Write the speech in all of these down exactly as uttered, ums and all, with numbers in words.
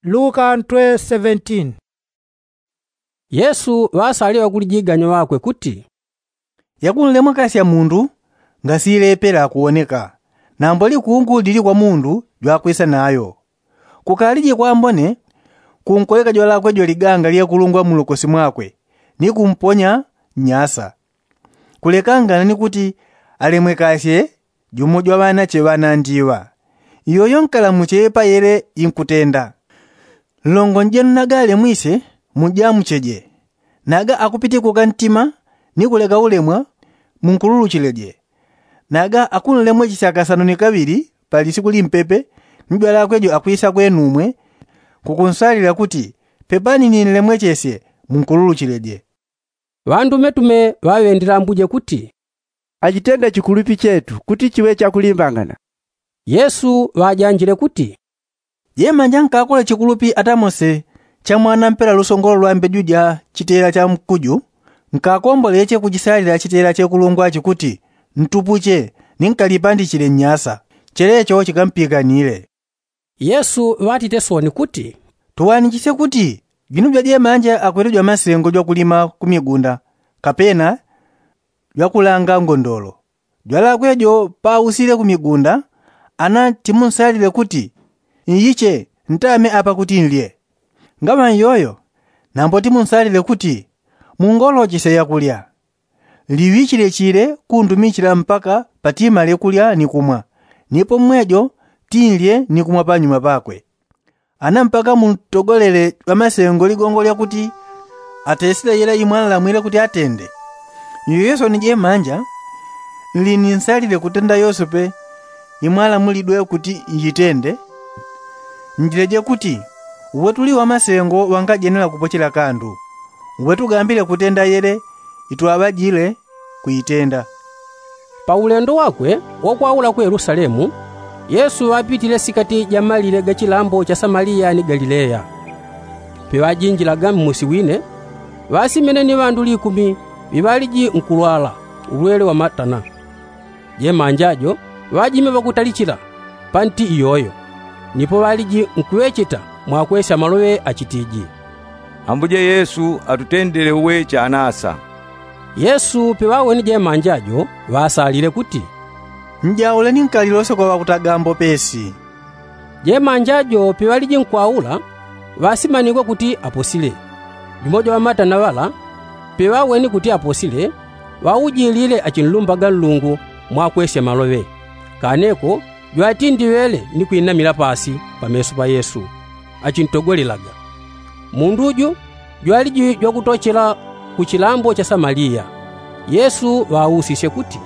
Luka ntwe seventeen. Yesu ŵasalile ŵakulijiganya ŵakwe kuti, yakunlemwekasya mundu ngasilepela kuwoneka, nambo likungu lili kwa mundu jwakwisa nayo. Kukalije kwambone kunkoleka jwalakwe jo liganga lyekulungwa mulokosi mwakwe, ni kumponya nnyasa, kulekangana ni kuti alemwekasye jumo jwa ŵanache ŵanandi iŵa. Iyoyo nkalamuche payele inkutenda. Nlongo njenu naga alemwisye, mujamucheje. Naga akupitikuka ntima ni kuleka ulemwa, munkululuchileje. Naga akunlemwechesya kasanu ni kaŵili pa lisiku limpepe, ni jwalakwe jo akwisa kwenumwe kukunsalila kuti, pepani ninlemwechesye, munkululuchileje. Ŵandumetume ŵaŵendilambuje kuti, achitenda chikulupi chetu kuti chiŵe chakulimbangana. Yesu ŵajanjile kuti, jemanja nkakole chikulupi ata mose chamwana mpela lusongolo lwa mbeju ja chitela cha mkuju, nkakomboleche kuchisalila chitela chekulungwa chikuti, ntupuche, ni nkalipandichile nnyasa, chelecho chikampikanile. Yesu ŵatite sooni kuti, tuwanichisye kuti jwinu jwajemanja akwete jwamasengo jwakulima ku migunda, kapena jwakulanga ngondolo. Jwalakwe jo pausile ku migunda, ana timunsalile kuti, nyiche, ntame apa kuti nlye. Ngaŵa nyoyo, nambo timunsalile kuti, mungolochesye yakulya. Liŵichile chile kundumichila mpaka patimale kulya ni kumwa, nipo mwejo tinlye ni kumwa panyuma pakwe. Ana mpaka muntogolele jwamasengo ligongo lyakuti atesile yela imwanlamwile kuti atende. Nyoyo sooni jemanja, nlininsalile kutenda yose pe imwanlamulidwe kuti njitende. Njileje kuti, uwe tuli wamasengo wangajenela kupochela kandu. Uwe tugambile kutenda yele itwaŵajile kuitenda. Pa ulendo wakwe wakwaula ku yelusalemu, yesu ŵapitile sikati ja malile ga chilambo cha samaliya ni galileya. Piŵajinjilaga mmusi wine, ŵasimene ni ŵandu likumi ŵiŵaliji nkulwala ulwele wa matana. Jemanja jo ŵajime ŵakutalichila panti iyoyo, nipo ŵaliji nkuŵecheta mwakwesya maloŵe achitiji, ambuje yesu atutendele uwe chanasa. Yesu piŵawene jemanja jo ŵasalile kuti, njaule ni nkalilose kwa ŵakutagambo pesi. Jemanja jo piŵaliji nkwaula, ŵasimanigwe kuti aposile. Jumo jwa ŵamatana ŵala piŵawene kuti aposile, ŵaujilile achinlumbaga nlungu mwakwesya maloŵe. Kaneko jwatindiŵele ni kwinamila pasi pameso pa yesu, achintogolelaga. Mundu ju jwaliji jwakutochela ku chilambo cha samaliya. Yesu ŵausisye kuti,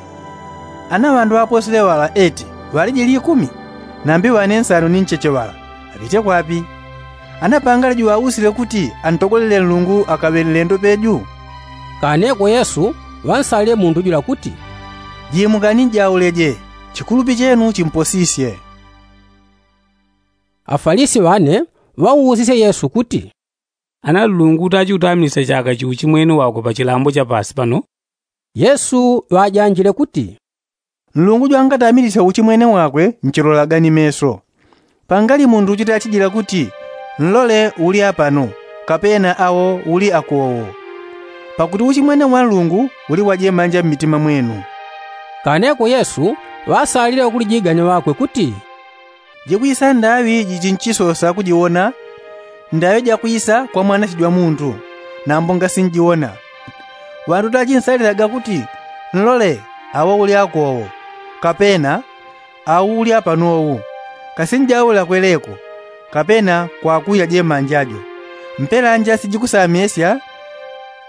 ana ŵandu ŵaposile ŵala eti ŵaliji likumi? Nambi ŵane nsanu ni ncheche ŵala ŵapite kwapi? Ana pangali juŵausile kuti antogolele nlungu akaŵe nlendo peju? Kaneko yesu ŵansalile mundu jula kuti, jimukani njauleje, chikulupi chenu chimposisye. Afalisi ŵane ŵausisye yesu kuti, ana nlungu tachi utamilisya chaka chi uchimwene wakwe pa chilambo cha pasi pano? Yesu ŵajanjile kuti, nlungu jwangatamilisya uchimwene wakwe nchilolaga ni meso. Pangali mundu uchitachijila kuti, nlole uli apano, kapena awo uli akowo. Pakuti uchimwene wa nlungu uli wajemanja mmitima mwenu. Kaneko yesu ŵasalile ŵakulijiganya ŵakwe kuti, jikwisa ndaŵi jichinchisosa kujiwona ndaŵi jakwisa kwa mwanasijwa mundu, nambo ngasinjiwona. Ŵandu tachinsalilaga kuti, nlole awo uli akowo, kapena awo uli apanowu. Kasinjaula kweleko, kapena kwakuya jemanja jo. Mpela nja sijikusamesya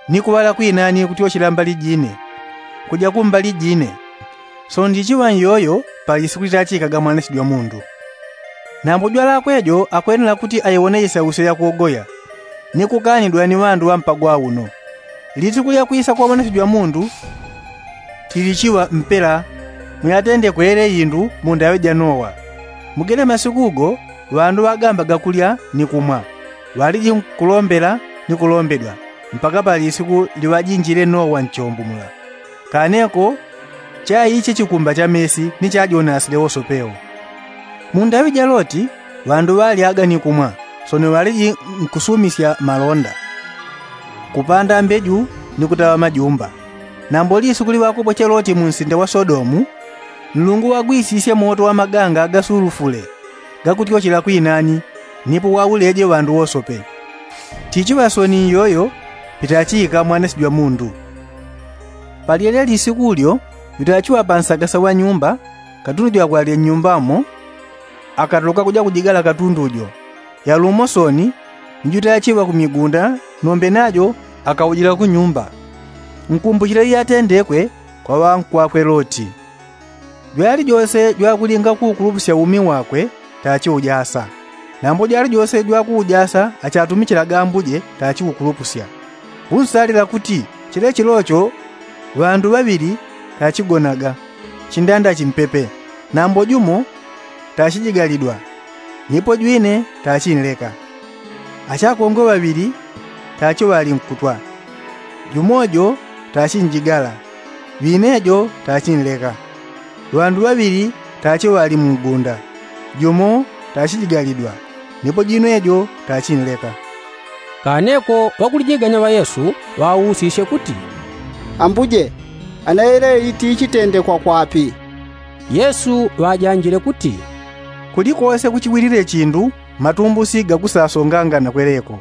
ni kuŵala kwinani kutyochela mbali jine, kuja kumbali jine. Sono ndichiŵa nyoyo pa lisiku litachikaga mwanasijwa mundu. Nambo jwalakwe jo akwenela kuti aiwone isausyo yakuogoya, ni kukanidwa ni ŵandu ŵampagwa uno. Lisiku lyakwisa kwa mwanasijwa mundu tilichiŵa mpela. Muyatendekwele indu mundaŵe ja nowa. Mugene masiku go ŵandu ŵagambaga kulya ni kumwa, ŵaliji nkulombela ni kulombedwa, mpaka pa lisiku liŵajinjile nowa nchombo mula. Kaneko chaiche chikumba cha mesi ni chajonasile wose pewo. Mundaŵe ja loti ŵandu ŵalyaga ni kumwa, Sono ŵaliji nkusumisya malonda, kupanda mbeju ni kutaŵa majumba. Nambo lisukuli ŵakopoche loti munsinda wa sodomu, nlungu wagwisisye moto wa maganga gasulufule gakutyochela kwinani, nipo wauleje ŵandu wosope. Tichiŵa soni iyoyo pitachiika mwanasi jwa mundu. Palyelye lisiku ulyo, jutachiŵa pansagasa wa nyumba, katundu jwakwalile nnyumbamo akatoloka kuja kujigala katundu jo. Yalumo soni ni jutachiŵa kumigunda, nombe najo akaujila kunyumba. Nkumbuchile iyatendekwe kwa ŵankwakwe loti. Jwalijose jwakulinga kuukulupusya umi wakwe tachiujasa. Nambo jwalijose jwakuujasa achatumichilaga ambuje tachiukulupusya. Kunsalila kuti chile chilocho ŵandu ŵaŵili tachigonaga chindanda chimpepe. Nambo jumo tachijigalidwa, nipo jwine tachinleka. Achakongwe ŵaŵili tachiŵalinkutwa, jumo jo tachinjigala, jwine jo tachinleka. Ŵandu ŵaŵili tachiŵali mungunda, jumo tachijigalidwa, nipo jwine jo tachinleka. Kaneko ŵakulijiganya ŵa yesu ŵausisye kuti, ambuje, ana yeleli tiichitendekwa kwapi? Yesu ŵajanjile kuti, kulikose kuchiŵilile chindu matumbusi gakusasongangana kweleko.